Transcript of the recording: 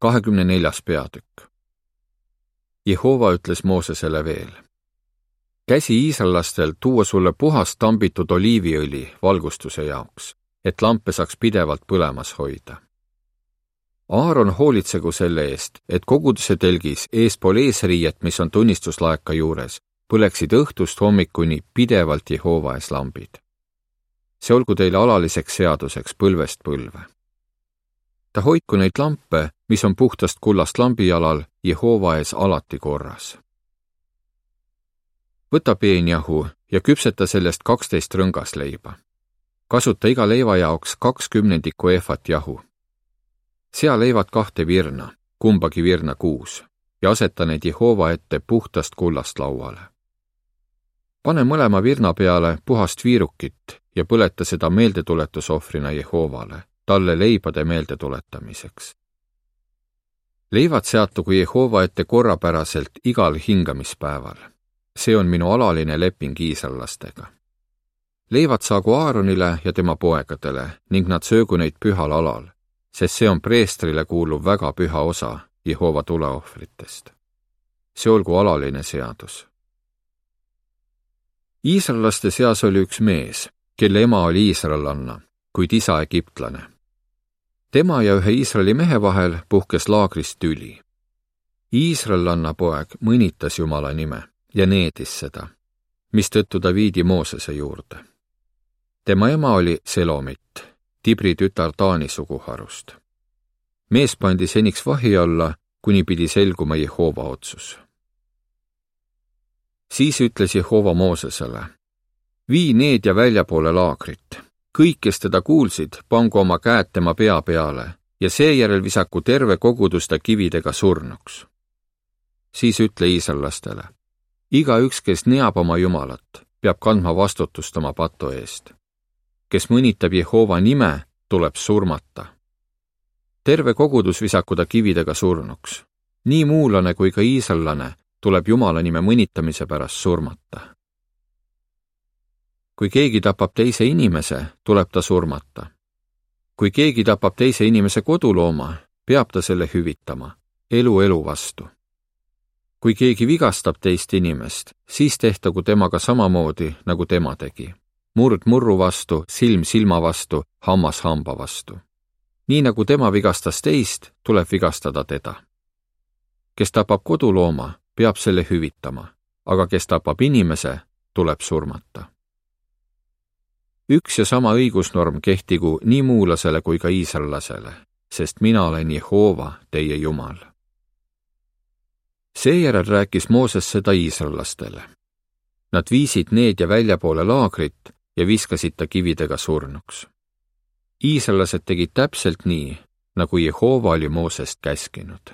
24. peatükk. Jehova ütles Moosesele veel: käsi iisraellastel tuua sulle puhast tambitud oliiviõli valgustuse jaoks, et lampe saaks pidevalt põlemas hoida. Aaron hoolitsegu selle eest, et koguduse telgis eespool eesriiet, mis on tunnistuslaeka juures, põleksid õhtust hommikuni pidevalt Jehova ees lambid. See olgu teile alaliseks seaduseks põlvest põlve. Ta hoidku neid lampe, mis on puhtast kullast lambijalal, Jehova ees alati korras. Võta peenjahu ja küpseta sellest 12 rõngasleiba. Kasuta iga leiva jaoks 20 eefat jahu. Sea leivad 2 virna, kumbagi virna 6, ja aseta need Jehova ette puhtast kullast lauale. Pane mõlema virna peale puhast viirukit ja põleta seda meeldetuletusohvrina Jehovale, talle leibade meeldetuletamiseks. Leivad seatugu Jehova ette korrapäraselt igal hingamispäeval. See on minu alaline leping iisraellastega. Leivad saagu Aaronile ja tema poegadele ning nad söögu neid pühal alal, sest see on preestrile kuuluv väga püha osa Jehova tuleohvritest. See olgu alaline seadus. Iisraellaste seas oli üks mees, kelle ema oli iisraellanna, kuid isa egiptlane. Tema ja ühe Iisraeli mehe vahel puhkes laagris tüli. Iisraellanna poeg mõnitas Jumala nime ja needis seda, mistõttu ta viidi Moosese juurde. Tema ema oli Selomit, Tibri tütar Taani suguharust. Mees pandi seniks vahi alla, kuni pidi selguma Jehova otsus. Siis ütles Jehova Moosesele: vii need ja väljapoole laagrit. Kõik, kes teda kuulsid, pangu oma käed tema pea peale ja seejärel visaku terve kogudus ta kividega surnuks. Siis ütle iisraellastele: igaüks, kes neab oma Jumalat, peab kandma vastutust oma patu eest. Kes mõnitab Jehova nime, tuleb surmata. Terve kogudus visaku ta kividega surnuks. Nii muulane kui ka iisraellane tuleb Jumala nime mõnitamise pärast surmata. Kui keegi tapab teise inimese, tuleb ta surmata. Kui keegi tapab teise inimese kodulooma, peab ta selle hüvitama, elu vastu. Kui keegi vigastab teist inimest, siis tehtagu temaga samamoodi, nagu tema tegi. Murd murru vastu, silm silma vastu, hammas hamba vastu. Nii nagu tema vigastas teist, tuleb vigastada teda. Kes tapab kodulooma, peab selle hüvitama, aga kes tapab inimese, tuleb surmata. Üks ja sama õigusnorm kehtigu nii muulasele kui ka iisraellasele, sest mina olen Jehova, teie Jumal. Seejärel rääkis Mooses seda iisraellastele. Nad viisid need ja väljapoole laagrit ja viskasid ta kividega surnuks. Iisraellased tegid täpselt nii, nagu Jehova oli Moosest käskinud.